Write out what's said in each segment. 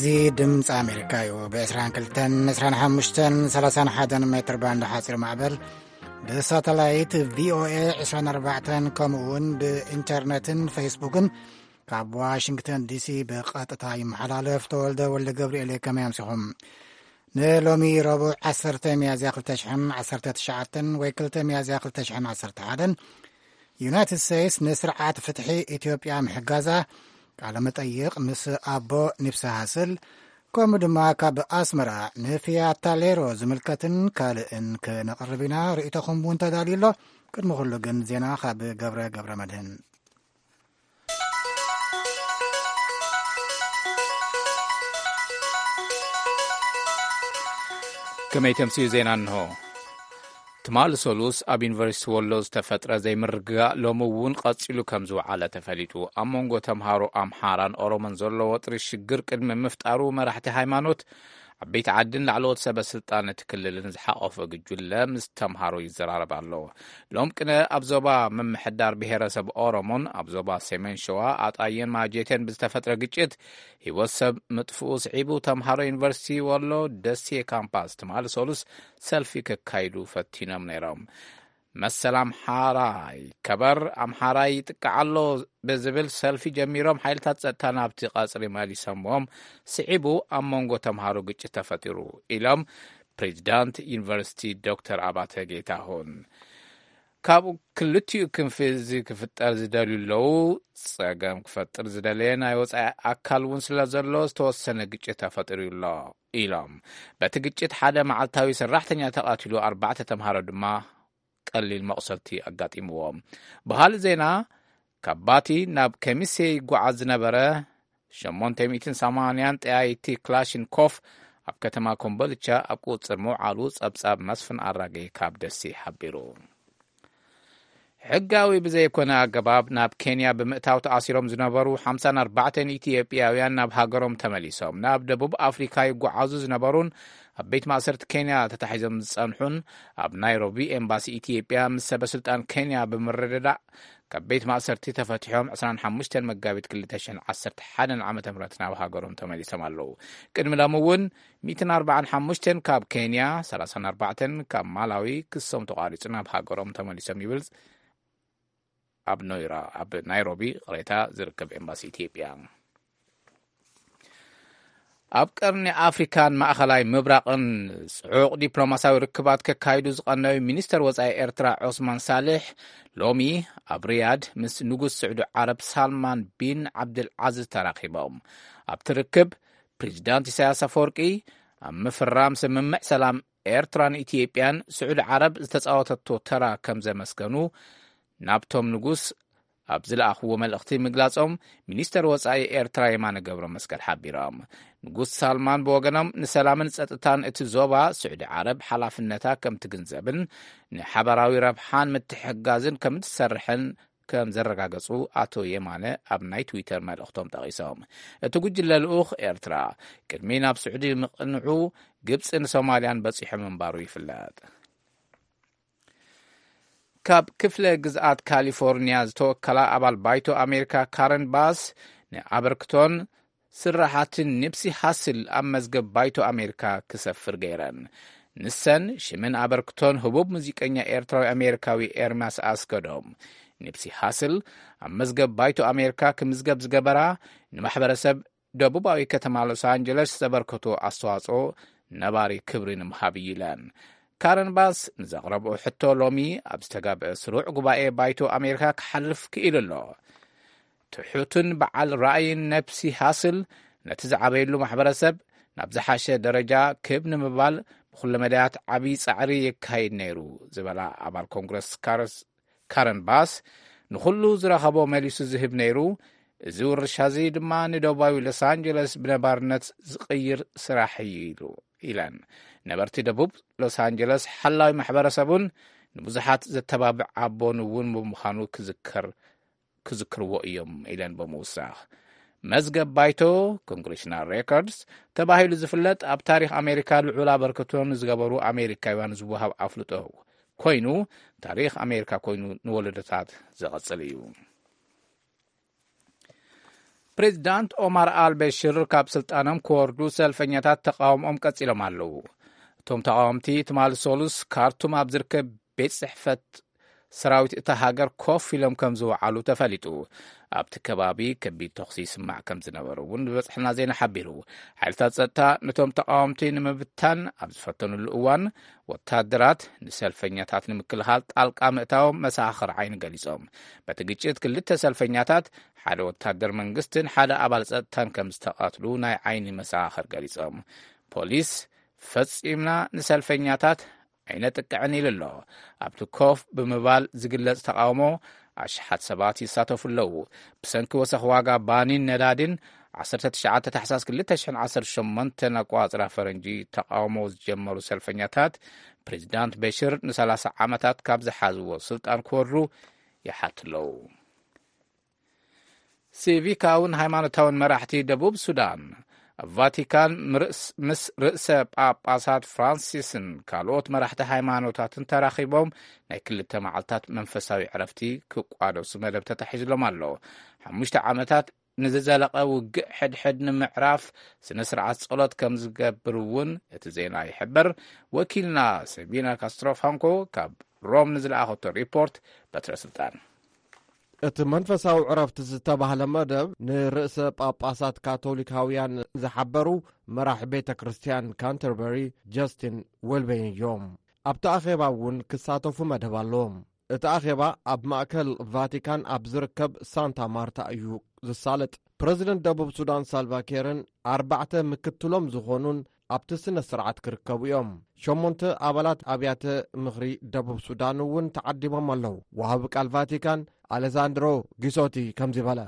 እዚ ድምፂ ኣሜሪካ እዩ። ብ22፣ 25፣ 31 ሜትር ባንድ ሓፂር ማዕበል፣ ብሳተላይት ቪኦኤ 24፣ ከምኡ እውን ብኢንተርነትን ፌስቡክን ካብ ዋሽንግተን ዲሲ ብቐጥታ ይመሓላለፍ። ተወልደ ወልደ ገብርኤል እየ። ከመይ ኣምሲኹም? ንሎሚ ረቡዕ 10 ሚያዝያ 2019 ወይ 2 ሚያዝያ 2011፣ ዩናይትድ ስቴትስ ንስርዓት ፍትሒ ኢትዮጵያ ምሕጋዛ፣ ቃለ መጠይቕ ምስ ኣቦ ኒብሲ ሃስል፣ ከምኡ ድማ ካብ ኣስመራ ንፊያታ ሌሮ ዝምልከትን ካልእን ክነቕርብ ኢና። ርእይቶኹም እውን ተዳልዩ ኣሎ። ቅድሚ ኩሉ ግን ዜና ካብ ገብረ ገብረ መድህን። ከመይ ተምስዩ ዜና እንሆ። ትማሊ ሰሉስ ኣብ ዩኒቨርሲቲ ወሎ ዝተፈጥረ ዘይምርግጋእ ሎሚ እውን ቀጺሉ ከም ዝወዓለ ተፈሊጡ። ኣብ መንጎ ተምሃሮ ኣምሓራን ኦሮሞን ዘሎ ወጥሪ ሽግር ቅድሚ ምፍጣሩ መራሕቲ ሃይማኖት፣ ዓበይቲ ዓድን ላዕለዎት ሰበ ስልጣን እቲ ክልልን ዝሓቆፈ ጉጅለ ምስ ተምሃሮ ይዘራረብ ኣሎ። ሎም ቅነ ኣብ ዞባ ምምሕዳር ብሄረሰብ ኦሮሞን ኣብ ዞባ ሰሜን ሸዋ ኣጣየን ማጀቴን ብዝተፈጥረ ግጭት ህይወት ሰብ ምጥፍኡ ስዒቡ፣ ተምሃሮ ዩኒቨርሲቲ ወሎ ደሴ ካምፓስ ትማሊ ሰሉስ ሰልፊ ከካይዱ ፈቲኖም ነይሮም። መሰል ኣምሓራ ይከበር፣ ኣምሓራ ይጥቃዕ ኣሎ ብዝብል ሰልፊ ጀሚሮም፣ ሓይልታት ጸጥታ ናብቲ ቀጽሪ መሊሶምዎም ስዒቡ፣ ኣብ መንጎ ተምሃሮ ግጭት ተፈጢሩ ኢሎም ፕሬዚዳንት ዩኒቨርሲቲ ዶክተር ኣባተ ጌታሁን። ካብኡ ክልቲኡ ክንፊ እዚ ክፍጠር ዝደልዩ ኣለዉ። ጸገም ክፈጥር ዝደለየ ናይ ወጻኢ ኣካል እውን ስለ ዘሎ ዝተወሰነ ግጭት ተፈጢሩ ኣሎ ኢሎም። በቲ ግጭት ሓደ መዓልታዊ ሰራሕተኛ ተቐቲሉ፣ ኣርባዕተ ተምሃሮ ድማ ቀሊል መቑሰልቲ ኣጋጢምዎም። ብኻልእ ዜና፣ ካብ ባቲ ናብ ከሚሴ ይጓዓዝ ዝነበረ 880 ጠያይቲ ክላሽንኮፍ ኣብ ከተማ ኮምቦልቻ ኣብ ቁጽር ምውዓሉ ጸብጻብ መስፍን ኣራጌ ካብ ደሴ ሓቢሩ። ሕጋዊ ብዘይኮነ ኣገባብ ናብ ኬንያ ብምእታው ተኣሲሮም ዝነበሩ ሓምሳን ኣርባዕተን ኢትዮጵያውያን ናብ ሃገሮም ተመሊሶም። ናብ ደቡብ ኣፍሪካ ይጓዓዙ ዝነበሩን ኣብ ቤት ማእሰርቲ ኬንያ ተታሒዞም ዝጸንሑን ኣብ ናይሮቢ ኤምባሲ ኢትዮጵያ ምስ ሰበ ስልጣን ኬንያ ብምርድዳእ ካብ ቤት ማእሰርቲ ተፈቲሖም 25 መጋቢት 2011 ዓ.ም ናብ ሃገሮም ተመሊሶም ኣለዉ። ቅድሚ ሎሚ እውን 145 ካብ ኬንያ፣ 34 ካብ ማላዊ ክሶም ተቋሪጹ ናብ ሃገሮም ተመሊሶም ይብል ኣብ ኖይራ፣ ኣብ ናይሮቢ ቅሬታ ዝርከብ ኤምባሲ ኢትዮጵያ። ኣብ ቀርኒ ኣፍሪካን ማእኸላይ ምብራቕን ጽዑቕ ዲፕሎማሲያዊ ርክባት ከካይዱ ዝቐነዩ ሚኒስተር ወጻኢ ኤርትራ ዖስማን ሳልሕ፣ ሎሚ ኣብ ሪያድ ምስ ንጉስ ስዑዲ ዓረብ ሳልማን ቢን ዓብድልዓዚዝ ተራኺቦም። ኣብቲ ርክብ፣ ፕሬዚዳንት ኢሳያስ ኣፈወርቂ ኣብ ምፍራም ስምምዕ ሰላም ኤርትራን ኢትዮጵያን ስዑዲ ዓረብ ዝተጻወተቶ ተራ ከም ዘመስገኑ፣ ናብቶም ንጉስ ኣብ ዝለኣኽዎ መልእኽቲ ምግላጾም፣ ሚኒስተር ወጻኢ ኤርትራ የማነ ገብረ መስቀል ሓቢሮም። ንጉስ ሳልማን ብወገኖም፣ ንሰላምን ጸጥታን እቲ ዞባ ስዑዲ ዓረብ ሓላፍነታ ከም ትግንዘብን ንሓባራዊ ረብሓን ምትሕግጋዝን ከም ትሰርሕን ከም ዘረጋገጹ ኣቶ የማነ ኣብ ናይ ትዊተር መልእኽቶም ጠቒሶም። እቲ ጉጅለ ልኡኽ ኤርትራ ቅድሚ ናብ ስዑዲ ምቕንዑ፣ ግብጽን ሶማልያን በጺሑ ምንባሩ ይፍለጥ። ካብ ክፍለ ግዝኣት ካሊፎርኒያ ዝተወከላ ኣባል ባይቶ ኣሜሪካ ካረን ባስ፣ ንኣበርክቶን ስራሓትን ኒፕሲ ሃስል ኣብ መዝገብ ባይቶ ኣሜሪካ ክሰፍር ገይረን። ንሰን ሽምን ኣበርክቶን ህቡብ ሙዚቀኛ ኤርትራዊ ኣሜሪካዊ ኤርሚያስ ኣስገዶም፣ ኒፕሲ ሃስል ኣብ መዝገብ ባይቶ ኣሜሪካ ክምዝገብ ዝገበራ፣ ንማሕበረሰብ ደቡባዊ ከተማ ሎስ ኣንጀለስ ዘበርከቶ ኣስተዋጽኦ ነባሪ ክብሪ ንምሃብ እዩ ኢለን። ካረን ባስ ንዘቕረብኦ ሕቶ ሎሚ ኣብ ዝተጋብአ ስሩዕ ጉባኤ ባይቶ ኣሜሪካ ክሓልፍ ክኢሉ ኣሎ። ትሑትን በዓል ራእይን ነፕሲ ሃስል፣ ነቲ ዝዓበየሉ ማሕበረሰብ ናብ ዝሓሸ ደረጃ ክብ ንምባል ብኩለ መዳያት ዓብዪ ጻዕሪ የካይድ ነይሩ ዝበላ ኣባል ኮንግረስ ካረስ-፣ ካረን ባስ፣ ንኹሉ ዝረኸቦ መሊሱ ዝህብ ነይሩ፣ እዚ ውርሻ እዚ ድማ ንደቡባዊ ሎስ ኣንጀለስ ብነባርነት ዝቕይር ስራሕ እዩ ኢሉ፣ ኢለን። ነበርቲ ደቡብ ሎስ ኣንጀለስ ሓላዊ ማሕበረሰቡን ንብዙሓት ዘተባብዕ ኣቦን እውን ብምዃኑ ክዝከር ክዝክርዎ እዮም ኢለን ብምውሳኽ፣ መዝገብ ባይቶ፣ ኮንግሬሽናል ሬኮርድስ፣ ተባሂሉ ዝፍለጥ ኣብ ታሪኽ ኣሜሪካ ልዑል ኣበርክቶ ንዝገበሩ ኣሜሪካውያን ዝወሃብ ኣፍልጦ ኮይኑ፣ ታሪኽ ኣሜሪካ ኮይኑ ንወለዶታት ዝቐጽል እዩ። ፕሬዚዳንት ኦማር ኣልበሽር ካብ ስልጣኖም ክወርዱ ሰልፈኛታት ተቃውሞኦም ቀጺሎም ኣለዉ። እቶም ተቃወምቲ ትማሊ ሶሉስ ካርቱም ኣብ ዝርከብ ቤት ጽሕፈት ሰራዊት እታ ሃገር ኮፍ ኢሎም ከም ዝወዓሉ ተፈሊጡ። ኣብቲ ከባቢ ከቢድ ተኹሲ ይስማዕ ከም ዝነበረ እውን ዝበጽሐና ዜና ሓቢሩ። ሓይልታት ጸጥታ ነቶም ተቃወምቲ ንምብታን ኣብ ዝፈተኑሉ እዋን፣ ወታደራት ንሰልፈኛታት ንምክልኻል ጣልቃ ምእታዎም መሰኻኽር ዓይኒ ገሊጾም። በቲ ግጭት ክልተ ሰልፈኛታት፣ ሓደ ወታደር መንግስትን ሓደ ኣባል ጸጥታን ከም ዝተቐትሉ ናይ ዓይኒ መሰኻኽር ገሊጾም። ፖሊስ ፈጺምና ንሰልፈኛታት ኣይነጥቅዕን ኢሉ ኣሎ። ኣብቲ ኮፍ ብምባል ዝግለጽ ተቃውሞ ኣሽሓት ሰባት ይሳተፉ ኣለዉ። ብሰንኪ ወሰኽ ዋጋ ባኒን ነዳዲን ዓሰርተ ትሽዓተ ታሕሳስ ክልተ ሽሕን ዓሰርተ ሸሞንተን ኣቋጽራ ፈረንጂ ተቃውሞ ዝጀመሩ ሰልፈኛታት ፕሬዚዳንት በሽር ንሰላሳ ዓመታት ካብ ዝሓዝዎ ስልጣን ክወርዱ ይሓቱ ኣለዉ። ሲቪካውን ሃይማኖታውን መራሕቲ ደቡብ ሱዳን፣ ቫቲካን ምርስ-፣ ምስ ርእሰ ጳጳሳት ፍራንሲስን ካልኦት መራሕቲ ሃይማኖታትን ተራኺቦም ናይ ክልተ መዓልታት መንፈሳዊ ዕረፍቲ ክቋደሱ መደብ ተታሒዝሎም ኣሎ። ሓሙሽተ ዓመታት ንዝዘለቐ ውግእ ሕድሕድ ንምዕራፍ ስነ ስርዓት ጸሎት ከም ዝገብር እውን እቲ ዜና ይሕብር። ወኪልና ሰቢና ካስትሮ ፍራንኮ ካብ ሮም ንዝለኣኸቶ ሪፖርት በትረ ስልጣን። እቲ መንፈሳዊ ዕረፍቲ ዝተባህለ መደብ ንርእሰ ጳጳሳት ካቶሊካውያን ዝሓበሩ መራሕ ቤተ ክርስቲያን ካንተርበሪ ጀስቲን ወልቤን እዮም። ኣብቲ ኣኼባ እውን ክሳተፉ መደብ ኣለዎም። እቲ ኣኼባ ኣብ ማእከል ቫቲካን ኣብ ዝርከብ ሳንታ ማርታ እዩ ዝሳለጥ። ፕረዚደንት ደቡብ ሱዳን ሳልቫ ኬርን ኣርባዕተ ምክትሎም ዝኾኑን ኣብቲ ስነ ስርዓት ክርከቡ እዮም። ሸሞንተ ኣባላት ኣብያተ ምኽሪ ደቡብ ሱዳን እውን ተዓዲሞም ኣለዉ። ወሃቢ ቃል ቫቲካን ኣሌሳንድሮ ጊሶቲ ከምዚ በለ።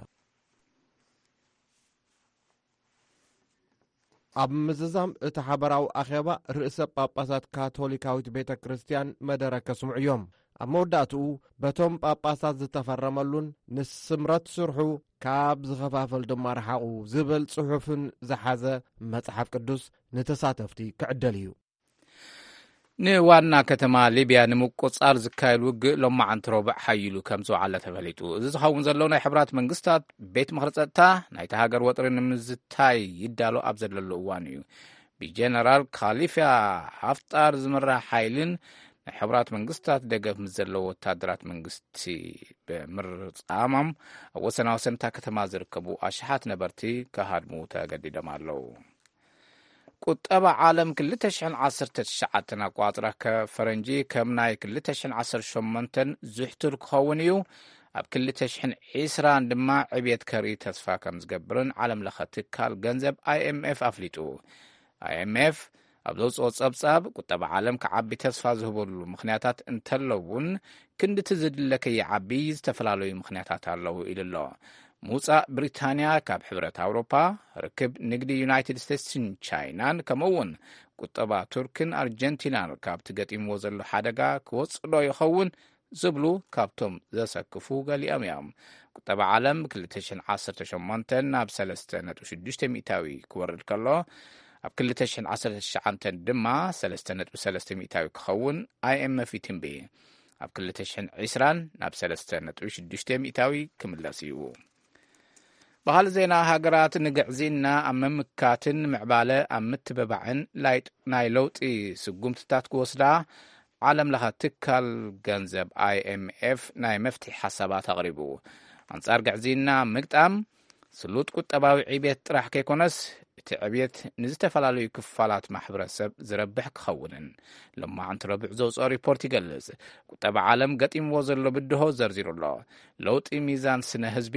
ኣብ ምዝዛም እቲ ሓበራዊ ኣኼባ ርእሰ ጳጳሳት ካቶሊካዊት ቤተ ክርስቲያን መደረ ከስምዑ እዮም። ኣብ መወዳእትኡ በቶም ጳጳሳት ዝተፈረመሉን ንስምረት ስርሑ ካብ ዝኸፋፈል ድማ ረሓቑ ዝብል ጽሑፍን ዝሓዘ መጽሓፍ ቅዱስ ንተሳተፍቲ ክዕደል እዩ። ንዋና ከተማ ሊብያ ንምቁጻር ዝካየድ ውግእ ሎማዓንቲ ረቡዕ ሓይሉ ከም ዝወዓለ ተፈሊጡ። እዚ ዝኸውን ዘሎ ናይ ሕብራት መንግስታት ቤት ምኽሪ ጸጥታ ናይቲ ሃገር ወጥሪ ንምዝታይ ይዳሎ ኣብ ዘለሉ እዋን እዩ። ብጀነራል ካሊፋ ሃፍጣር ዝምራሕ ሓይልን ናይ ሕብራት መንግስታት ደገፍ ምስ ዘለዎ ወታደራት መንግስቲ ብምርጻሞም ኣብ ወሰናወሰን እታ ከተማ ዝርከቡ ኣሽሓት ነበርቲ ክሃድሙ ተገዲዶም ኣለዉ። ቁጠባ ዓለም ክልተ ሽሕን ዓሰርተ ትሽዓተን ኣቋጽራ ከ-፣ ፈረንጂ ከም ናይ ክልተ ሽሕን ዓሰርተ ሸሞንተን ዝሕቱል ክኸውን እዩ። ኣብ ክልተ ሽሕን ዕስራን ድማ ዕብየት ከርኢ ተስፋ ከም ዝገብርን ዓለም ለኸ ትካል ገንዘብ ኣይ ኤም ኤፍ ኣፍሊጡ። ኣይ ኤም ኤፍ ኣብ ዘውፅኦ ጸብጻብ፣ ቁጠባ ዓለም ክዓቢ ተስፋ ዝህበሉ ምኽንያታት እንተለውን፣ ክንድቲ ዝድለ ከይዓቢ ዝተፈላለዩ ምኽንያታት ኣለዉ ኢሉ ኣሎ። ምውጻእ ብሪታንያ ካብ ሕብረት ኣውሮፓ፣ ርክብ ንግዲ ዩናይትድ ስቴትስን ቻይናን፣ ከምኡ እውን ቁጠባ ቱርክን ኣርጀንቲናን ካብቲ ገጢምዎ ዘሎ ሓደጋ ክወጽእ ዶ ይኸውን ዝብሉ ካብቶም ዘሰክፉ ገሊኦም እዮም። ቁጠባ ዓለም ክልተ ሽሕን ዓሰርተ ሸሞንተን ናብ ሰለስተ ነጥቢ ሽዱሽተ ሚእታዊ ክወርድ ከሎ፣ ኣብ ክልተ ሽሕን ዓሰርተ ትሽዓተን ድማ ሰለስተ ነጥቢ ሰለስተ ሚእታዊ ክኸውን ኣይ ኤም ኤፍ ይትንቢ። ኣብ ክልተ ሽሕን ዕስራን ናብ ሰለስተ ነጥቢ ሽዱሽተ ሚእታዊ ክምለስ እዩ። ባህሊ ዜና። ሃገራት ንግዕዝይና ኣብ ምምካትን ምዕባለ ኣብ ምትብባዕን ላይጥ-፣ ናይ ለውጢ ስጉምትታት ክወስዳ ዓለም ለኸ ትካል ገንዘብ ኣይ ኤም ኤፍ ናይ መፍትሒ ሓሳባት ኣቕሪቡ። ኣንጻር ግዕዝይና ምግጣም ስሉጥ ቁጠባዊ ዕብየት ጥራሕ ከይኮነስ፣ እቲ ዕብየት ንዝተፈላለዩ ክፋላት ማሕበረሰብ ዝረብሕ ክኸውንን ሎማዕንቲ ረቡዕ ዘውፅኦ ሪፖርት ይገልጽ። ቁጠባ ዓለም ገጢምዎ ዘሎ ብድሆ ዘርዚሩ ኣሎ። ለውጢ ሚዛን ስነ ህዝቢ፣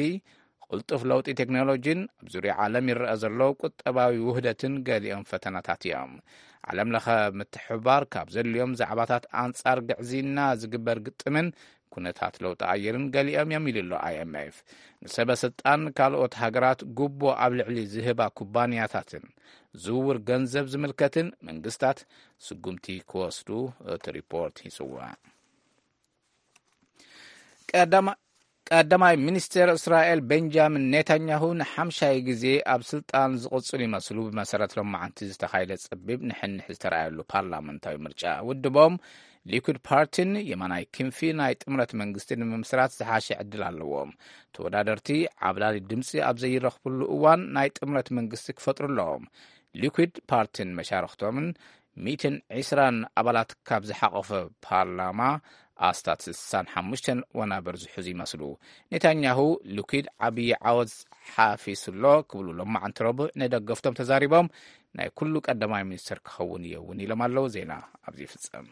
ቅልጡፍ ለውጢ ቴክኖሎጂን ኣብ ዙርያ ዓለም ይረአ ዘሎ ቁጠባዊ ውህደትን ገሊኦም ፈተናታት እዮም። ዓለም ለኸ ምትሕብባር ካብ ዘድልዮም ዛዕባታት ኣንጻር ግዕዝይና ዝግበር ግጥምን ኩነታት ለውጢ ኣየርን ገሊኦም እዮም ኢሉ ኣሎ ኣይ ኤም ኤፍ። ንሰበ ስልጣን ካልኦት ሃገራት ጉቦ ኣብ ልዕሊ ዝህባ ኩባንያታትን ዝውውር ገንዘብ ዝምልከትን መንግስታት ስጉምቲ ክወስዱ እቲ ሪፖርት ይጽውዕ። ቀዳማ-፣ ቀዳማይ ሚኒስትር እስራኤል ቤንጃሚን ኔታንያሁ ንሓምሻይ ግዜ ኣብ ስልጣን ዝቕጽሉ ይመስሉ፣ ብመሰረት ሎማዓንቲ ዝተኻየደ ጸቢብ ንሕንሕ ዝተረኣየሉ ፓርላመንታዊ ምርጫ። ውድቦም ሊኩድ ፓርቲን የማናይ ክንፊ ናይ ጥምረት መንግስቲ ንምምስራት ዝሓሸ ዕድል ኣለዎም። ተወዳደርቲ ዓብላሊ ድምጺ ኣብ ዘይረኽብሉ እዋን ናይ ጥምረት መንግስቲ ክፈጥሩ ኣለዎም። ሊኩድ ፓርቲን መሻርኽቶምን ሚእትን ዕስራን ኣባላት ካብ ዝሓቖፈ ፓርላማ ኣስታት ስሳን ሓሙሽተን ወናብር ዝሕዙ ይመስሉ። ኔታንያሁ፣ ሊኩድ ዓብዪ ዓወት ሓፊሱ ኣሎ ክብሉ ሎማዓንቲ ረቡዕ ንደገፍቶም ተዛሪቦም፣ ናይ ኩሉ ቀዳማይ ሚኒስትር ክኸውን እየ እውን ኢሎም ኣለዉ። ዜና ኣብዚ ይፍጸም።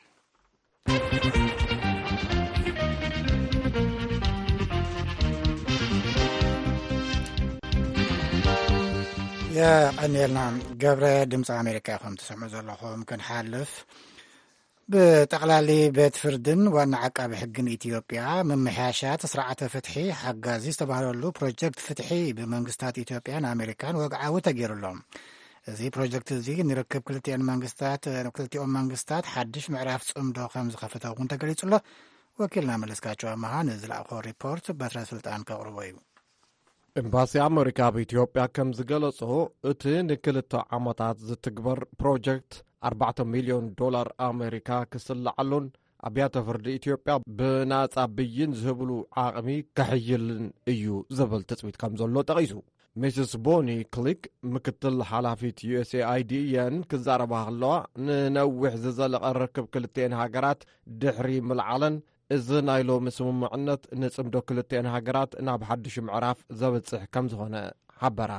የቐንየልና። ገብረ፣ ድምፂ ኣሜሪካ ኢኹም ትሰምዑ ዘለኹም። ክንሓልፍ፣ ብጠቕላሊ ቤት ፍርድን ዋና ዓቃቢ ሕግን ኢትዮጵያ ምምሕያሻት ስርዓተ ፍትሒ ሓጋዚ ዝተባህለሉ ፕሮጀክት ፍትሒ ብመንግስታት ኢትዮጵያን ኣሜሪካን ወግዓዊ ተገይሩሎም። እዚ ፕሮጀክት እዚ ንርክብ ክልቲኦን መንግስታት፣ ክልቲኦም መንግስታት ሓድሽ ምዕራፍ ጽምዶ ከም ዝኸፈተ እውን ተገሊጹ ኣሎ። ወኪልና መለስካቸው ኣመሃ ንዝለኣኾ ሪፖርት በትረ ስልጣን ከቕርቦ እዩ። ኤምባሲ ኣመሪካ ኣብ ኢትዮጵያ ከም ዝገለጾ፣ እቲ ንክልተ ዓመታት ዝትግበር ፕሮጀክት ኣርባዕተ ሚልዮን ዶላር ኣመሪካ ክስልዓሉን ኣብያተ ፍርዲ ኢትዮጵያ ብናጻ ብይን ዝህብሉ ዓቕሚ ከሕይልን እዩ ዝብል ትጽቢት ከም ዘሎ ጠቒሱ። ሚስስ ቦኒ ክሊክ፣ ምክትል ሓላፊት ዩ ኤስ ኤ ኣይ ዲ እየን ክዛረባ ከለዋ፣ ንነዊሕ ዝዘለቐ ርክብ ክልቲኤን ሃገራት ድሕሪ ምልዓለን፣ እዚ ናይ ሎሚ ስምምዕነት ንጽምዶ ክልቲኤን ሃገራት ናብ ሓድሽ ምዕራፍ ዘብጽሕ ከም ዝኾነ ሓበራ።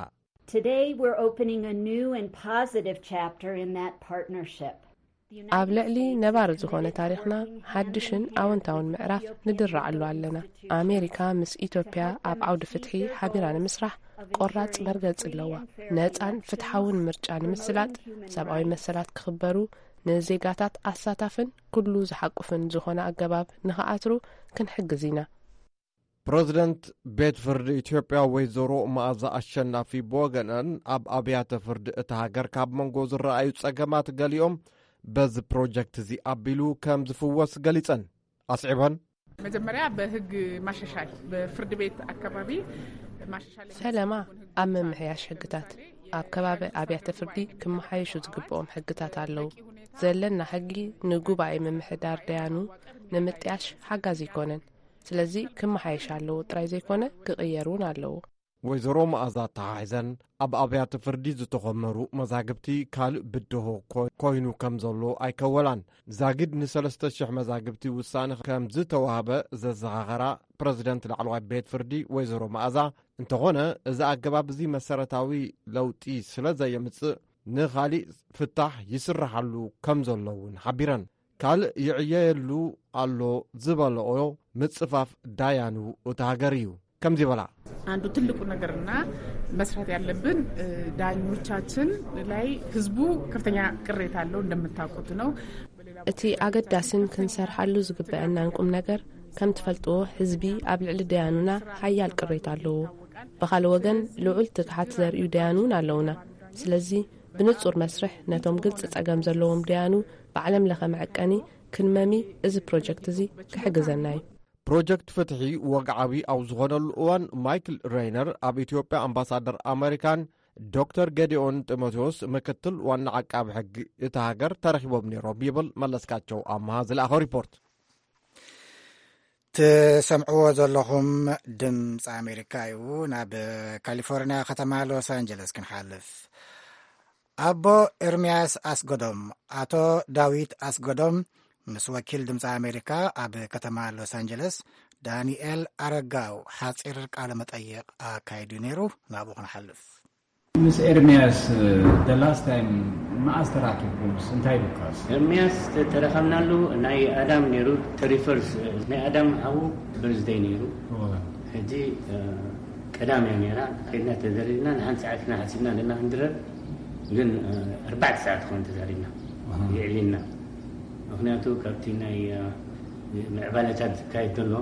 Today, we're opening a new and positive chapter in that partnership. ኣብ ልዕሊ ነባሪ ዝኾነ ታሪኽና ሓድሽን ኣወንታውን ምዕራፍ ንድረዓሉ ኣለና። ኣሜሪካ ምስ ኢትዮጵያ ኣብ ዓውዲ ፍትሒ ሓቢራ ንምስራሕ ቆራጽ መርገጺ ኣለዋ። ነጻን ፍትሓውን ምርጫ ንምስላጥ፣ ሰብኣዊ መሰላት ክኽበሩ፣ ንዜጋታት ኣሳታፍን ኩሉ ዝሓቁፍን ዝኾነ ኣገባብ ንኽኣትሩ ክንሕግዝ ኢና። ፕረዚደንት ቤት ፍርዲ ኢትዮጵያ ወይዘሮ መኣዛ ኣሸናፊ ብወገነን፣ ኣብ ኣብያተ ፍርዲ እታ ሃገር ካብ መንጎ ዝረኣዩ ጸገማት ገሊኦም በዚ ፕሮጀክት እዚ ኣቢሉ ከም ዝፍወስ ገሊጸን። ኣስዒበን፣ መጀመሪያ በህግ ማሻሻል፣ በፍርድ ቤት አካባቢ ማሻሻል ፈለማ ኣብ ምምሕያሽ ሕግታት ኣብ ከባቢ ኣብያተ ፍርዲ ክመሓየሹ ዝግብኦም ሕግታት ኣለዉ። ዘለና ሕጊ ንጉባኤ ምምሕዳር ደያኑ ንምጥያሽ ሓጋዚ ኣይኮነን። ስለዚ ክመሓየሽ ኣለዎ ጥራይ ዘይኮነ ክቕየር እውን ኣለዎ። ወይዘሮ መኣዛ ኣተሓሒዘን፣ ኣብ ኣብያተ ፍርዲ ዝተኾመሩ መዛግብቲ ካልእ ብድሆ ኮ-፣ ኮይኑ ከም ዘሎ ኣይከወላን። ዛጊድ ንሰለስተ ሽሕ መዛግብቲ ውሳነ ከም ዝተዋህበ ዘዘኻኸራ ፕረዚደንት ላዕለዋይ ቤት ፍርዲ ወይዘሮ መኣዛ፣ እንተኾነ እዚ ኣገባብ እዚ መሰረታዊ ለውጢ ስለ ዘየምጽእ ንኻሊእ ፍታሕ ይስርሓሉ ከም ዘሎ እውን ሓቢረን። ካልእ ይዕየየሉ ኣሎ ዝበለኦ ምጽፋፍ ዳያኑ እታ ሃገር እዩ። ከምዚ በላ። አንዱ ትልቁ ነገርና መስራት ያለብን፣ እ፣ ዳኞቻችን ላይ ህዝቡ ከፍተኛ ቅሬታ አለው እንደምታውቁት ነው። እቲ ኣገዳስን ክንሰርሓሉ ዝግበአናን ቁም ነገር፣ ከም ትፈልጥዎ፣ ህዝቢ ኣብ ልዕሊ ደያኑና ሓያል ቅሬታ ኣለዎ። ብኻልእ ወገን፣ ልዑል ትግሓት ዘርእዩ ደያኑ እውን ኣለውና። ስለዚ፣ ብንጹር መስርሕ ነቶም ግልጺ ጸገም ዘለዎም ደያኑ ብዓለም ለኸ መዐቀኒ ክንመሚ እዚ ፕሮጀክት እዚ ክሕግዘና እዩ። ፕሮጀክት ፍትሒ ወግዓዊ ኣብ ዝኾነሉ እዋን፣ ማይክል ሬይነር ኣብ ኢትዮጵያ ኣምባሳደር ኣመሪካን ዶክተር ገዲኦን ጢሞቴዎስ ምክትል ዋና ዓቃቢ ሕጊ እታ ሃገር ተረኺቦም ነይሮም ይብል መለስካቸው ኣምሃ ዝለኣኸ ሪፖርት። ትሰምዕዎ ዘለኹም ድምፂ ኣሜሪካ እዩ። ናብ ካሊፎርኒያ ከተማ ሎስ ኣንጀለስ ክንሓልፍ። ኣቦ ኤርምያስ ኣስገዶም፣ ኣቶ ዳዊት ኣስገዶም፣ ምስ ወኪል ድምፂ ኣሜሪካ ኣብ ከተማ ሎስ ኣንጀለስ ዳንኤል ኣረጋው ሓፂር ቃለ መጠይቕ ኣካይዱ ነይሩ። ናብኡ ክንሓልፍ። ምስ ኤርምያስ፣ the last time መኣስ ተራኪብኩምስ እንታይ ኢሉካስ? ኤርምያስ ተ-፣ ተረኸብናሉ ናይ ኣዳም ነይሩ፣ thirty-first፣ ናይ ኣዳም ሓዉ በርዝደይ ነይሩ። እወ። ሕጂ፣ እ፣ ቀዳም እያ ነይራ። ከድና ተዘሪርና፣ ንሓንቲ ሰዓት ኢና ሓሲብና ኣለና ክንድረር። ግን፣ እ፣ ኣርባዕተ ሰዓት ትኸውን ተዛሪብና። ኣሃ። የዕሊልና። ምኽንያቱ ካብቲ ናይ፣ እ፣ ምዕባለታት ዝካየድ ዘሎ፣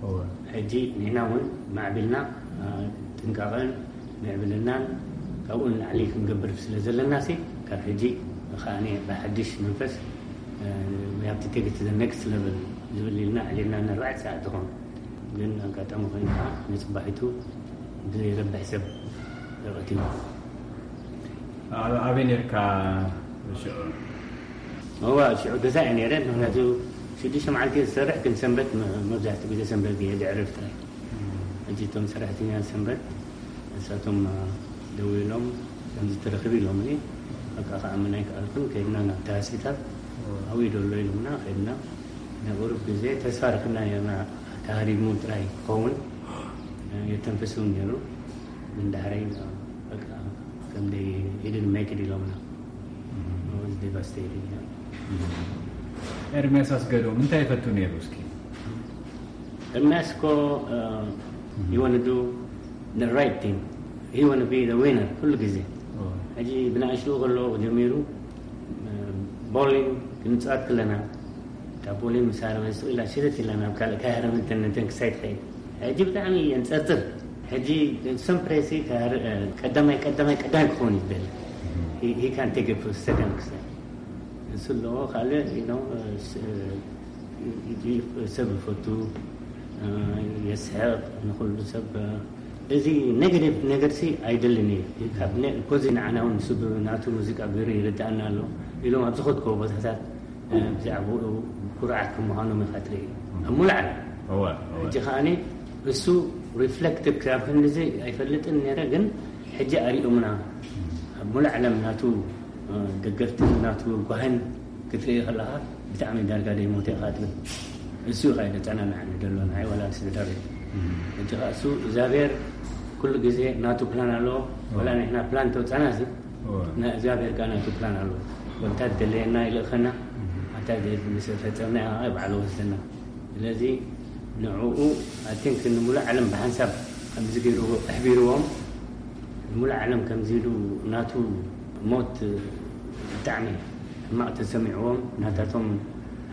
እወ። ሕጂ ንሕና እውን ማዕቢልና፣ እ፣ ጥንቃቐን ምዕብልናን ካብኡ ንላዕሊ ክንገብር ስለ ዘለናሲ፣ ካብ ሕጂ ከኣ ብሓድሽ መንፈስ፣ እ፣ we have to take it to the next level ዝብል ኢልና ኣዕሊልና፣ ንኣርባዕተ ሰዓት ዝኾኑ ግን ኣጋጣሚ ኮይኑ ከዓ ንፅባሒቱ ብዘይረብሕ ሰብ ተቐቲሉ። ኣበይ ነርካ ሽዑ? እዋ ሽዑ ገዛ እየ ነይረ። ምክንያቱ ሽዱሽተ መዓልቲ እየ ዝሰርሕ፣ ግን ሰንበት መብዛሕትኡ ግዜ ሰንበት እየ ድዕርፍ ጥራይ። ሕጂ እቶም ሰራሕተኛ ሰንበት ንሳቶም ደዊሎም ከምዚ ተረኽብ ኢሎምኒ። በቃ ከኣምን ኣይከኣልኩን። ከድና ናብ ታሲታ ኣዊ ደሎ ኢሎምና ከድና። ናይ ቁሩብ ግዜ ተስፋ ረክብና ነርና። ተሃሪሙ ጥራይ ክኸውን የተንፍስ እውን ነይሩ። ግን ዳሕረይ በቃ ከም ደይ ሂድን መይክድ ኢሎምና። ዲቫስቴድ። ኤርሚያስ ኣስገዶም እንታይ ይፈቱ ነይሩ እስኪ? ኤርሚያስ እኮ ይወንዱ ራይት ቲንግ ይወን ቢ ዊነር ኩሉ ግዜ። ሕጂ ብናእሽቱ ከሎ ጀሚሩ ቦሊንግ ክንፃወት ከለና እታ ቦሊንግ ምስ ሃረመ ስቕ ኢላ ሽርት ኢላ ናብ ካልእ ካይሃረመ እንተንክሳይ ትኸይድ። ሕጂ ብጣዕሚ የንፀርፅር። ሕጂ ሰምፕሬሲ ቀዳማይ ቀዳማይ ቀዳማይ ክኸውን ይደል። ሂካን ቴክ ሰከንድ ክሳይ እሱ ኣለዎ። ካልእ ሰብ ይፈቱ፣ የስሕቕ፣ ንኩሉ ሰብ። እዚ ኔጋቲቭ ነገርሲ ኣይደልን እዩ። ካብ ፖዚ ንዓና እውን ንሱ ናቱ ሙዚቃ ገይሩ ይርድኣና ኣሎ ኢሎም ኣብ ዝኸድክዎ ቦታታት ብዛዕባኡ ኩርዓት ከም ምዃኖም ኢኻ ትርኢ ኣብ ሙሉእ ዓለም። ሕጂ ከዓኒ እሱ ሪፍሌክቲቭ ክሳብ ክንድዚ ኣይፈልጥን ነይረ፣ ግን ሕጂ ኣሪኦምና ኣብ ሙሉእ ዓለም ናቱ ደገፍትን ናቱ ጓህን ክትርኢ ከለኻ ብጣዕሚ ዳርጋ ደይ ሞተ ኢኻ ትብል። እሱ ኢኻ የደጸናንዓኒ ዘሎ ንዓይ ወላ ንስድራ ቤት። ሕጂ ኸዓ እሱ እግዚኣብሔር ኩሉ ግዜ ናቱ ፕላን ኣለዎ። ወላ ንሕና ፕላን ተውጻና ሲ ናይ እግዚኣብሔር ከኣ ናቱ ፕላን ኣለዎ። ወንታ ደለየና ይልእኸና ኣታ ምስ ፈጸምና ባዕሉ ወስደና። ስለዚ ንዕኡ ኣቲንክ ንሙሉእ ዓለም ብሓንሳብ ከምዚ ገይርዎ ኣሕቢርዎም። ንሙሉእ ዓለም ከምዚ ኢሉ ናቱ ሞት ብጣዕሚ ሕማቕ ተሰሚዕዎም ናታቶም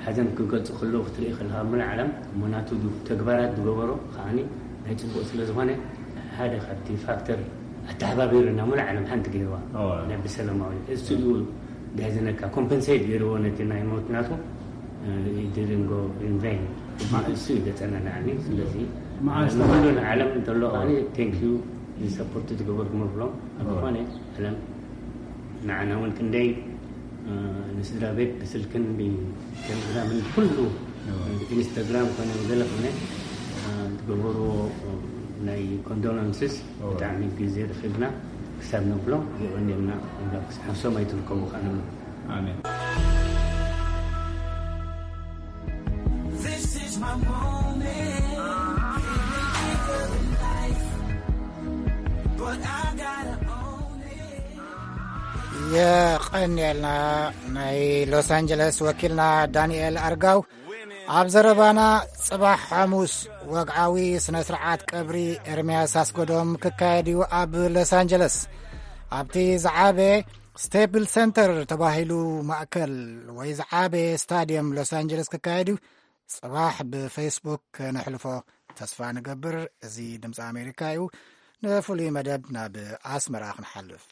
ሓዘን ክገልፁ ከለዉ ክትርኢ ከለካ ሙሉእ ዓለም እሞ ናቱ ተግባራት ዝገበሮ ከዓኒ ናይ ፅቡቅ ስለ ዝኾነ ሓደ ካብቲ ፋክተር ኣተሓባቢሩና ሙሉእ ዓለም ሓንቲ ገይርዋ ናይ ብሰላማዊ እሱ እዩ ድሕዝነካ ኮምፐንሴት ገይርዎ ነቲ ናይ ሞት ናቱ ድርንጎ ኢንቨይን እሱ እዩ ዘጸናንዓኒ። ስለዚ ንኩሉ ንዓለም እንተሎ ከዓኒ ቴንክ ዩ ንሰፖርት ዝገበርኩም እብሎም ኣብ ዝኾነ ዓለም ንዓና እውን ክንደይ ንስድራ ቤት ብስልክን ብቴሌግራምን ኩሉ ኢንስታግራም ኮነ ገለ ኮነ ዝገበርዎ ናይ ኮንዶለንስስ ብጣዕሚ ግዜ ረኺብና ክሳብ ነብሎም የቐንየልና። ክሳብ ሰማይ ትርከቡ ከኣ ንብሎም። ኣሜን። This is my moment. But I gotta own it. የቐንየልና። ናይ ሎስ ኣንጀለስ ወኪልና ዳንኤል ኣርጋው ኣብ ዘረባና፣ ጽባሕ ሓሙስ ወግዓዊ ስነ ስርዓት ቀብሪ ኤርምያስ ኣስገዶም ክካየድ እዩ ኣብ ሎስ ኣንጀለስ። ኣብቲ ዝዓበየ ስቴፕል ሰንተር ተባሂሉ ማእከል ወይ ዝዓበየ ስታድየም ሎስ ኣንጀለስ ክካየድ እዩ። ጽባሕ ብፌስቡክ ከነሕልፎ ተስፋ ንገብር። እዚ ድምፂ ኣሜሪካ እዩ። ንፍሉይ መደብ ናብ ኣስመራ ክንሓልፍ።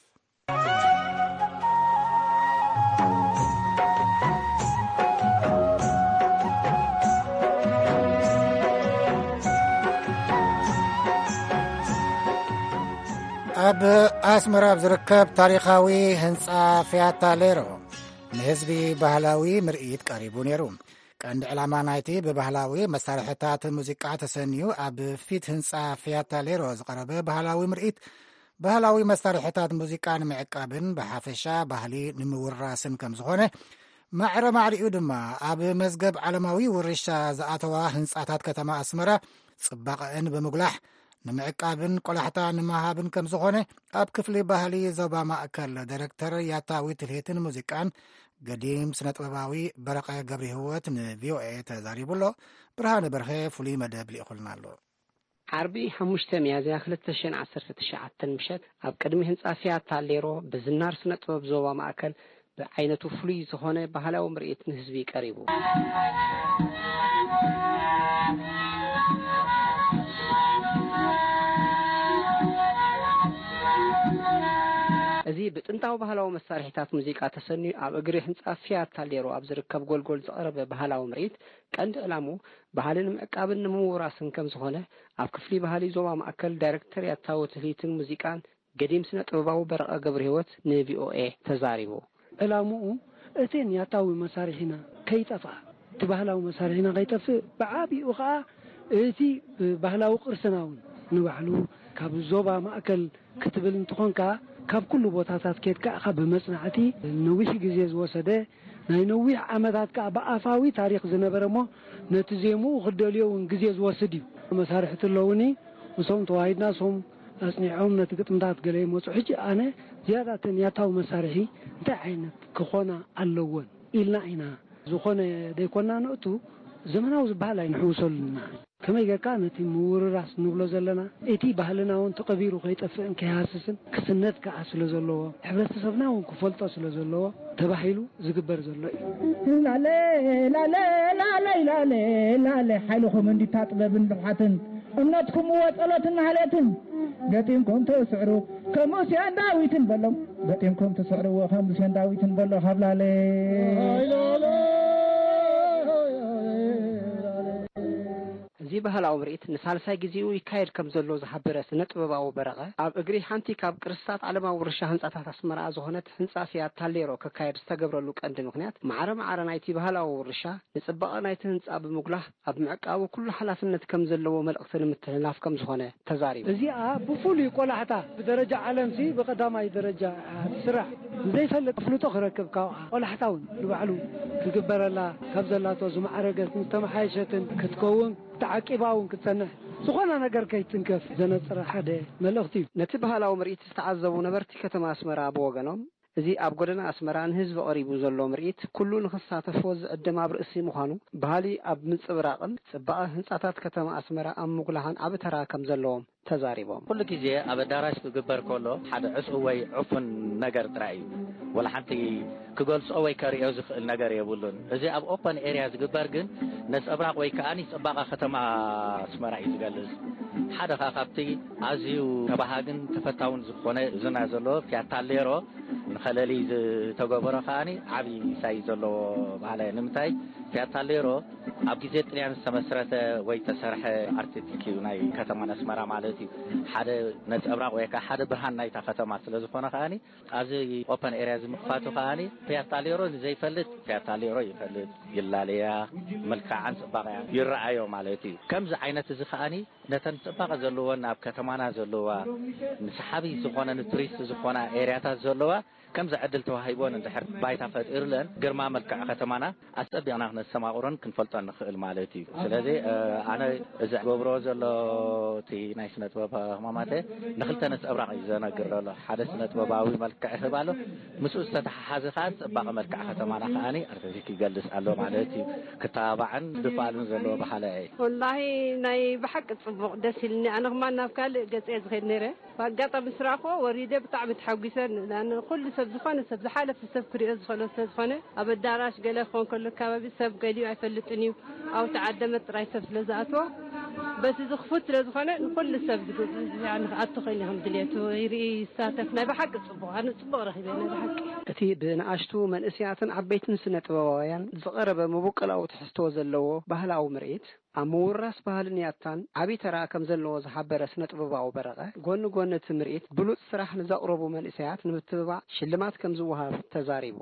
ኣብ ኣስመራ ኣብ ዝርከብ ታሪኻዊ ህንጻ ፊያታ ሌሮ ንህዝቢ ባህላዊ ምርኢት ቀሪቡ ነይሩ። ቀንዲ ዕላማ ናይቲ ብባህላዊ መሳርሕታት ሙዚቃ ተሰንዩ ኣብ ፊት ህንጻ ፊያታ ሌሮ ዝቐረበ ባህላዊ ምርኢት፣ ባህላዊ መሳርሕታት ሙዚቃ ንምዕቃብን ብሓፈሻ ባህሊ ንምውራስን ከም ዝኾነ ማዕረ ማዕሪኡ ድማ ኣብ መዝገብ ዓለማዊ ውርሻ ዝኣተዋ ህንጻታት ከተማ ኣስመራ ጽባቐአን ብምጉላሕ ንምዕቃብን ቆላሕታ ንምሃብን ከም ዝኾነ ኣብ ክፍሊ ባህሊ ዞባ ማእከል ዳይረክተር ያታዊ ትልሂትን ሙዚቃን ገዲም ስነጥበባዊ በረቐ ገብረሂወት ንቪኦኤ ተዛሪቡ ኣሎ። ብርሃነ በርሀ ፍሉይ መደብ ልኢኹልና ኣሎ። ዓርቢ ሓሙሽተ ሚያዝያ ክልተ ሽሕን ዓሰርተ ትሽዓተን ምሸት ኣብ ቅድሚ ህንጻ ፊያታ ሌሮ ብዝናር ስነ ጥበብ ዞባ ማእከል ብዓይነቱ ፍሉይ ዝኾነ ባህላዊ ምርኢት ንህዝቢ ቀሪቡ። እዚ ብጥንታዊ ባህላዊ መሳርሒታት ሙዚቃ ተሰንዩ ኣብ እግሪ ህንጻ ፊያት ታሌሮ ኣብ ዝርከብ ጎልጎል ዝቐረበ ባህላዊ ምርኢት፣ ቀንዲ ዕላምኡ ባህሊ ንምዕቃብን ንምውራስን ከም ዝኾነ፣ ኣብ ክፍሊ ባህሊ ዞባ ማእከል ዳይሬክተር ያታዊ ትልሂትን ሙዚቃን ገዲም ስነ ጥበባዊ በረቐ ገብረህይወት ን ቪ ኦ ኤ ተዛሪቡ። ዕላምኡ እተን ያታዊ መሳርሒና ከይጠፍኣ፣ እቲ ባህላዊ መሳርሒና ከይጠፍእ፣ ብዓቢኡ ኸኣ እቲ ባህላዊ ቅርስና እውን ንባዕሉ ካብ ዞባ ማእከል ክትብል እንትኾንካ፣ ካብ ኩሉ ቦታታት ኬድካ ኢኻ ብመጽናዕቲ ነዊሕ ግዜ ዝወሰደ፣ ናይ ነዊሕ ዓመታት ከኣ ብኣፋዊ ታሪኽ ዝነበረ እሞ፣ ነቲ ዜምኡ ክደልዮ እውን ግዜ ዝወስድ እዩ። መሳርሕቲ ኣለውኒ፣ ምስኦም ተዋሂድና፣ እሶም ኣጽኒዖም ነቲ ግጥምታት ገለ ይመጹ። ሕጂ ኣነ ዝያዳ እተን ያታዊ መሳርሒ እንታይ ዓይነት ክኾና ኣለወን ኢልና ኢና። ዝኾነ ደይኮና ንእቱ ዘመናዊ ዝበሃል ኣይንሕውሰሉና። ከመይ ጌርካ ነቲ ምውርራስ ንብሎ ዘለና፣ እቲ ባህልና እውን ተቐቢሩ ከይጠፍእን ከይሃስስን ክስነድ ከኣ ስለ ዘለዎ፣ ሕብረተሰብና እውን ክፈልጦ ስለ ዘለዎ ተባሂሉ ዝግበር ዘሎ እዩ። ላለ፣ ላለ፣ ላለ፣ ላለ፣ ላለ፣ ሓይልኹም እንዲታ ጥበብን ብልሓትን፣ እምነትኩም ወጸሎትን ማህሌትን፣ ገጢምኩም ትስዕሩ ከም ሙሴን ዳዊትን በሎም፣ ገጢምኩም ትስዕርዎ ከም ሙሴን ዳዊትን በሎ ካብ ላለ። እዚ ባህላዊ ምርኢት ንሳልሳይ ግዜኡ ይካየድ ከም ዘሎ ዝሓበረ ስነ ጥበባዊ በረቐ፣ ኣብ እግሪ ሓንቲ ካብ ቅርስታት ዓለማዊ ውርሻ ህንጻታት ኣስመራ ዝኾነት ህንጻ ፊያት ታሌሮ ክካየድ ዝተገብረሉ ቀንዲ ምኽንያት፣ ማዕረ ማዕረ ናይቲ ባህላዊ ውርሻ ንጽባቐ ናይቲ ህንጻ ብምጉላህ፣ ኣብ ምዕቃቡ ኩሉ ሓላፍነት ከም ዘለዎ መልእኽቲ ንምትሕልላፍ ከም ዝኾነ ተዛሪቡ። እዚኣ ብፍሉይ ቆላሕታ ብደረጃ ዓለምሲ ብቐዳማይ ደረጃ እያ ትስራሕ። ንዘይፈልጥ ኣፍልጦ ክረክብ ካብኣ ቆላሕታ እውን ንባዕሉ ክግበረላ ካብ ዘላቶ ዝማዕረገትን ዝተመሓየሸትን ክትከውን ተዓቂባ እውን ክትጸንሕ፣ ዝኾነ ነገር ከይትንከፍ ዘነጽረ ሓደ መልእኽቲ እዩ። ነቲ ባህላዊ ምርኢት ዝተዓዘቡ ነበርቲ ከተማ ኣስመራ ብወገኖም፣ እዚ ኣብ ጎደና ኣስመራ ንህዝቢ ቀሪቡ ዘሎ ምርኢት፣ ኩሉ ንኽሳተፎ ዝዕድም ኣብ ርእሲ ምዃኑ፣ ባህሊ ኣብ ምጽብራቕን ጽባቐ ህንጻታት ከተማ ኣስመራ ኣብ ምጉላሕን ዓቢ ተራ ከም ዘለዎም ተዛሪቦም። ኩሉ ግዜ ኣብ ኣዳራሽ ክግበር ከሎ፣ ሓደ ዕጹው ወይ ዕፉን ነገር ጥራይ እዩ። ወላ ሓንቲ ክገልጾ ወይ ከርእዮ ዝኽእል ነገር የብሉን። እዚ ኣብ ኦፐን ኤርያ ዝግበር ግን ነጸብራቕ ወይ ከኣ ጽባቐ ከተማ ኣስመራ እዩ ዝገልጽ። ሓደ ከኣ ካብቲ ኣዝዩ ተባሃግን ተፈታውን ዝኾነ ዝና ዘለዎ ፊያት ታሌሮ ንኸለሊ ዝተገበሮ ከኣ ዓቢ ሳይ ዘለዎ ባህሊ እዩ። ንምንታይ ፊያት ታሌሮ ኣብ ግዜ ጥልያን ዝተመስረተ ወይ ዝተሰርሐ ኣርቲስቲክ እዩ፣ ናይ ከተማና ኣስመራ ማለት እዩ። ሓደ ነጸብራቕ ወይ ከኣ ሓደ ብርሃን ናይታ ከተማ ስለ ዝኾነ ከኣ ኣብዚ ኦፐን ኤርያ እዚ ምኽፋቱ ከኣ ፊያት ታሌሮ ንዘይፈልጥ ፊያት ታሌሮ ይፈልጥ፣ ይላለያ፣ መልክዓን ጽባቐያን ይረኣዮ ማለት እዩ። ከምዚ ዓይነት እዚ ከኣ ነተን ጽባቐ ዘለወን ኣብ ከተማና ዘለዋ ንሰሓቢ ዝኾነ ንቱሪስት ዝኾና ኤርያታት ዘለዋ ከምዚ ዕድል ተዋሂቦን እንድሕር ባይታ ፈጢሩለን ግርማ መልክዕ ከተማና ኣጸቢቕና ክነስተማቕሮን ክንፈልጦን ንኽእል ማለት እዩ። ስለዚ፣ እ፣ ኣነ እዚ ገብሮ ዘሎ እቲ ናይ ስነ ጥበብ ህማማተ ንኽልተ ነጸብራቕ እዩ ዘነግር ዘሎ። ሓደ ስነ ጥበባዊ መልክዕ ይህብ ኣሎ፣ ምስኡ ዝተተሓሓዘ ከኣ ጽባቐ መልክዕ ከተማና ከኣ ኣርቲስቲክ ይገልጽ ኣሎ ማለት እዩ። ክተባባዕን ድፋልን ዘለዎ ባህሊ እዩ። ወላሂ ናይ ብሓቂ ጽቡቕ ደስ ኢልኒ። ኣነ ከማን ናብ ካልእ ገጸ እየ ዝኸይድ ነይረ። ብኣጋጣሚ ምስ ረኣኽዎ ወሪደ ብጣዕሚ ተሓጒሰ። ንኣነ ኩሉ ሰብ ዝኾነ ሰብ ዝሓለፈ ሰብ ክሪኦ ዝኽእሎ ስለ ዝኾነ ኣብ ኣዳራሽ ገለ ክኾን ከሎ ከባቢ ሰብ ገሊኡ ኣይፈልጥን እዩ። ኣብ ተዓደመ ጥራይ ሰብ ስለ ዝኣትዎ በቲ ዝኽፉት ስለ ዝኾነ ንኹሉ ሰብ ዝግ-፣ ያኒ ክኣቱ ክእል እዩ ከም ድሌቱ ይርኢ ይሳተፍ። ናይ ብሓቂ ጽቡቕ፣ ኣነ ጽቡቕ ረኺበ ናይ ብሓቂ። እቲ ብንኣሽቱ መንእሰያትን ዓበይትን ስነ ጥበባውያን ዝቐረበ መበቆላዊ ትሕዝቶ ዘለዎ ባህላዊ ምርኢት ኣብ ምውራስ ባህልን ያታን ዓቢ ተራ ከም ዘለዎ ዝሓበረ ስነ ጥበባዊ በረቐ፣ ጎኒ ጎኒ እቲ ምርኢት ብሉጽ ስራሕ ንዘቕረቡ መንእሰያት ንምትብባዕ ሽልማት ከም ዝወሃብ ተዛሪቡ።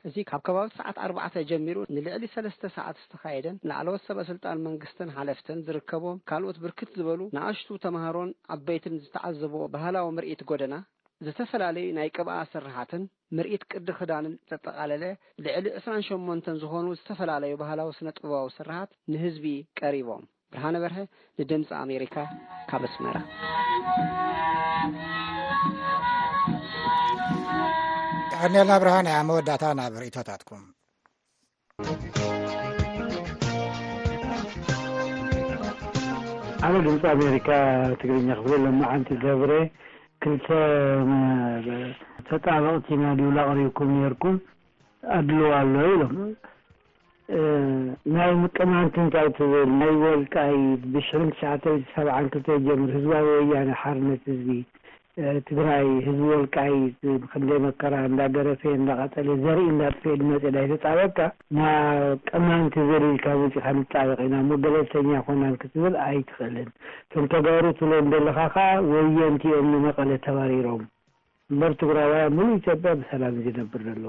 እዚ ካብ ከባቢ ሰዓት ኣርባዕተ ጀሚሩ ንልዕሊ ሰለስተ ሰዓት ዝተኻየደን ላዕለዎት ሰበ ስልጣን መንግስትን ሓለፍትን ዝርከቦም ካልኦት ብርክት ዝበሉ ንኣሽቱ ተምሃሮን ዓበይትን ዝተዓዘብዎ ባህላዊ ምርኢት ጎደና፣ ዝተፈላለዩ ናይ ቅብኣ ስርሓትን ምርኢት ቅዲ ክዳንን ዘጠቓለለ ልዕሊ ዕስራን ሸሞንተን ዝኾኑ ዝተፈላለዩ ባህላዊ ስነ ጥበባዊ ስርሓት ንህዝቢ ቀሪቦም። ብርሃነ በርሀ ንድምፂ ኣሜሪካ ካብ ኣስመራ። የቐንየልና ብርሃነ፣ ኣብ መወዳእታ ናብ ርእይቶታትኩም። ኣነ ድምፂ ኣሜሪካ ትግርኛ ክፍሊ ለማዓንቲ ገብረ ክልተ ተጣበቕቲ ኢና ድብል ኣቕሪብኩም ነይርኩም ኣድልዎ ኣሎ ኢሎም። እ፣ ናይ ምቅማንት እንታይ ትብል? ናይ ወልቃይት ብሽሕን ትሽዓተ ሚእትን ሰብዓን ክልተ ጀምር ህዝባዊ ወያነ ሓርነት ህዝቢ፣ እ፣ ትግራይ፣ ህዝቢ ወልቃይት ብክንደይ መከራ እንዳገረፈ እንዳቐጠለ ዘርኢ እንዳጥፍኤ ዝመፀ እንዳይተፃበካ ናብ ቅማንት ዘሪልካ መፂኻ ንጣበቕ ኢና እሞ ገለልተኛ ኮናን ክትብል ኣይትኽእልን። እቶም ተጋሩ ትብሎም ዘለኻ ከዓ ወየንቲ እዮም ንመቐለ ተባሪሮም። እምበር ትግራዋይ ኣብ ሙሉእ ኢትዮጵያ ብሰላም እዩ ዝነብር ዘሎ።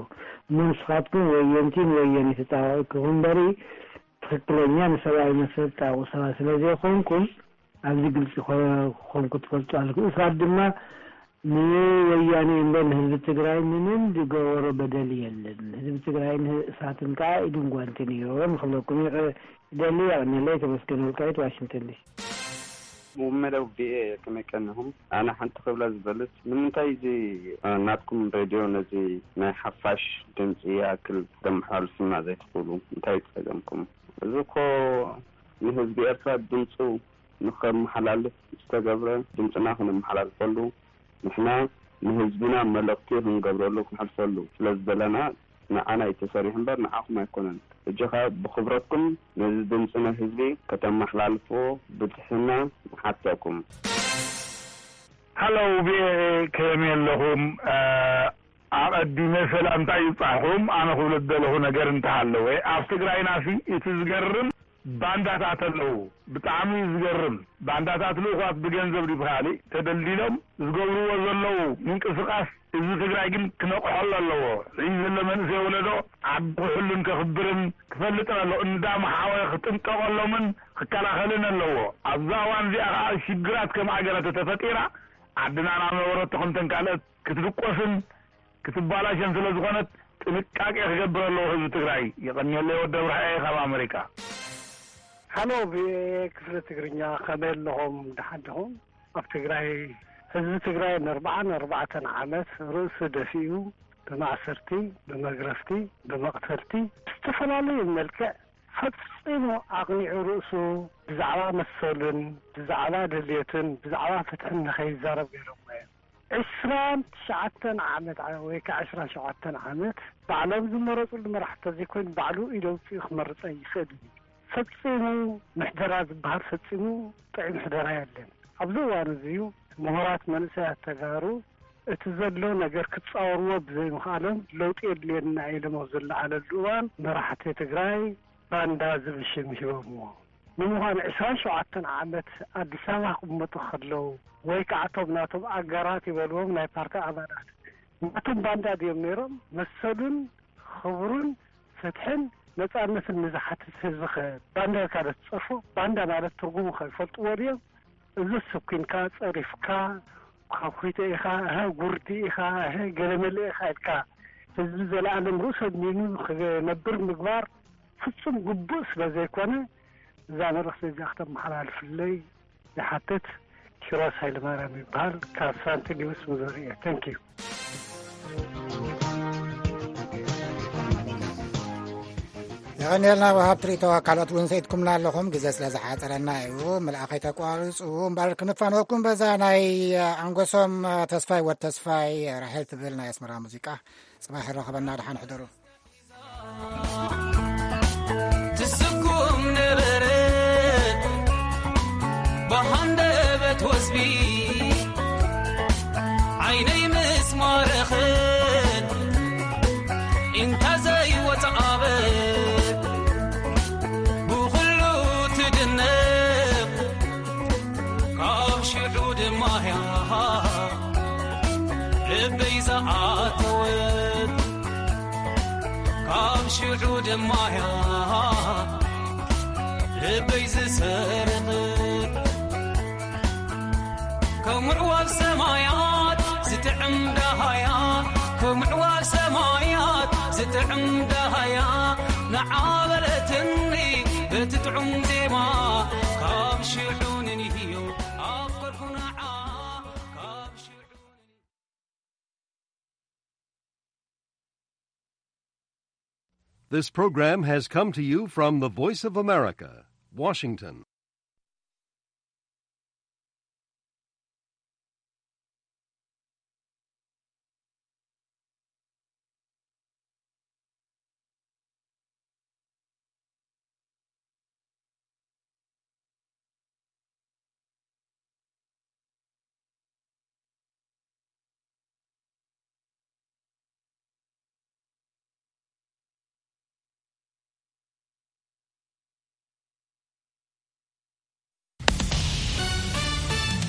እሞ ንስኻትኩም ወየንቲን ወየን ተጣበቕኩም እምበሪ ትኽክለኛ ንሰብኣዊ መሰል ጣቑ ሰባት ስለ ዘይኮንኩም ኣብዚ ግልፂ ኮ-፣ ክኾንኩ ትፈልጡ ኣለኩም። ንስኻት ድማ ንወያኔ እምበር ንህዝቢ ትግራይ ምንም ዝገበሮ በደል የለን። ህዝቢ ትግራይን ህ-፣ እሳትን ከዓ ኢድን ጓንትን እዮም ክብለኩም ይቕ-፣ ይደሊ። የቐንየለይ። ተመስገን ወልቃይት፣ ዋሽንግተን ዲሲ። መደብ ቪኦኤ ከመይ ቀኒኹም? ኣነ ሓንቲ ክብላ ዝበልት፣ ንምንታይ እዚ፣ እ፣ ናትኩም ሬድዮ ነዚ ናይ ሓፋሽ ድምፂ ይኣክል ከተመሓላልፉና ዘይትኽእሉ? እንታይ ጸገምኩም? እዚ እኮ ንህዝቢ ኤርትራ ድምፁ ንኸመሓላልፍ ዝተገብረ፣ ድምፅና ክነመሓላልፈሉ፣ ንሕና ንህዝብና መልእኽቲ ክንገብረሉ፣ ክነሕልፈሉ ስለ ዝደለና፣ ንዓና እዩ ተሰሪሑ እምበር ንዓኹም ኣይኮነን። ሕጂ ኸኣ ብኽብረትኩም ነዚ ድምፂ ናይ ህዝቢ ከተመሓላልፍዎ ብትሕትና ንሓተኩም። ሃሎ፣ ቪኦኤ፣ ከመይ ኣለኹም? እ፣ ኣቐዲመ ሰላምታ ይብጻሕኩም። ኣነ ክብሎ ዝደለኹ ነገር እንተሃለወ፣ ኣብ ትግራይናሲ እቲ ዝገርም ባንዳታት ኣለዉ። ብጣዕሚ እዩ ዝገርም። ባንዳታት ልኡኻት ብገንዘብ ድዩ ብኻሊእ ተደልዲሎም ዝገብርዎ ዘለዉ ምንቅስቓስ ህዝቢ ትግራይ ግን ክነቕሐሉ ኣለዎ። እዚ ዘሎ መንእሰይ ወለዶ ዓዲ ክሕሉን ከኽብርን ክፈልጥን ኣለዎ። እንዳመሓወ ክጥንቀቐሎምን ክከላኸልን ኣለዎ። ኣብዛ እዋን እዚኣ ከዓ ሽግራት ከም ሃገር ተተፈጢራ ዓድና ናብ ነበረቶ ከምተን ካልኦት ክትድቆስን ክትባላሸን ስለ ዝኾነት ጥንቃቄ ክገብር ኣለዎ ህዝቢ ትግራይ። የቐንየለይ ወዲ ኣብርሃየ ካብ ኣመሪካ። ሃሎ ቪኦኤ ክፍሊ ትግርኛ፣ ከመይ ኣለኹም? ደሓን ዲኹም? ኣብ ትግራይ ህዝቢ ትግራይ ንኣርብዓን ኣርባዕተን ዓመት ርእሱ ደፊኡ ብማእሰርቲ፣ ብመግረፍቲ፣ ብመቕተልቲ ብዝተፈላለዩ መልክዕ ፈጺሙ ኣቕኒዑ ርእሱ ብዛዕባ መሰሉን ብዛዕባ ድልየቱን ብዛዕባ ፍትሕን ንኸይዛረብ ገይሮምዎ እዮም። ዕስራን ትሽዓተን ዓመት ዓ-፣ ወይ ከዓ ዕስራን ሸውዓተን ዓመት ባዕሎም ዝመረፅሉ መራሕቲ ተዘይኮይኑ ባዕሉ ኢድ ኣውፂኡ ክመርፅ ኣይኽእልን እዩ። ፈፂሙ ምሕደራ ዝበሃል ፈፂሙ ጥዑይ ምሕደራ የለን። ኣብዚ እዋን እዚ እዩ ምሁራት መንእሰያት ተጋሩ እቲ ዘሎ ነገር ክፃወርዎ ብዘይምኽኣሎም ለውጢ የድልየና ኢሎም ኣብ ዝለዓለሉ እዋን መራሕቲ ትግራይ ባንዳ ዝብል ሽም ሂቦምዎ። ንምዃኑ ዕስራን ሸውዓተን ዓመት ኣዲስ ኣበባ ክቕመጡ ከለዉ ወይ ከዓ እቶም ናቶም ኣጋራት ይበልዎም ናይ ፓርቲ ኣባላት ናቶም ባንዳ ድዮም ነይሮም? መሰሉን ክብሩን ፍትሕን ነፃነትን ንዝሓትት ህዝቢ ከ ባንዳ ኢልካ ዶ ትፀርፎ? ባንዳ ማለት ትርጉሙ ከ ይፈልጥዎ ድዮም? እዚ ስኩንካ፣ ጸሪፍካ፣ ኳኩይተ ኢኻ፣ እህ፣ ጉርዲ ኢኻ፣ እህ፣ ገለመለ ኢኻ ኢልካ ህዝቢ ዘለኣለም ርእሱ ኣድኒኑ ክነብር ምግባር ፍጹም ግቡእ ስለ ዘይኮነ፣ እዛ መልእኽቲ እዚኣ ክተመሓላልፍለይ ይሓትት። ኪሮስ ሃይለማርያም ይበሃል፣ ካብ ሳንት ሉዊስ ሚዙሪ እየ። Thank you። የቐንየልና ወሃብቲ ርእይቶ። ካልኦት እውን ሰኢድኩምና ኣለኹም፣ ግዜ ስለ ዝሓፀረና እዩ። ምልኣኸይ ተቋሪፁ እምበር ክንፋነወኩም በዛ ናይ ኣንጎሶም ተስፋይ ወድ ተስፋይ ራሄል ትብል ናይ ኣስመራ ሙዚቃ። ፅባሕ ይረኸበና፣ ደሓን ሕደሩ። ትስጉም ነበረት ብሃንደበት ወዝቢ ዓይነይ ምስ ማረኸት ኢንታ ዘይወፅኣበ ብኹሉ ትድነቕ ካብ ሽዑ ድማያ ልበይ ዝኣተወት ካብ ሽዑ ድማያ ልበይ ዝሰርቕት ከም ምዕዋል ሰማያት ዝጥዕም ዳሃያ ከም ምዕዋል ሰማያት ዝጥዕም ዳሃያ ንዓበለትኒ በቲ ጥዑም ዜማ ካብ ሽዑ ንንህዮ ኣፍቀርኩ ንዓ ካብ ሽዑ This program has come to you from the Voice of America, Washington.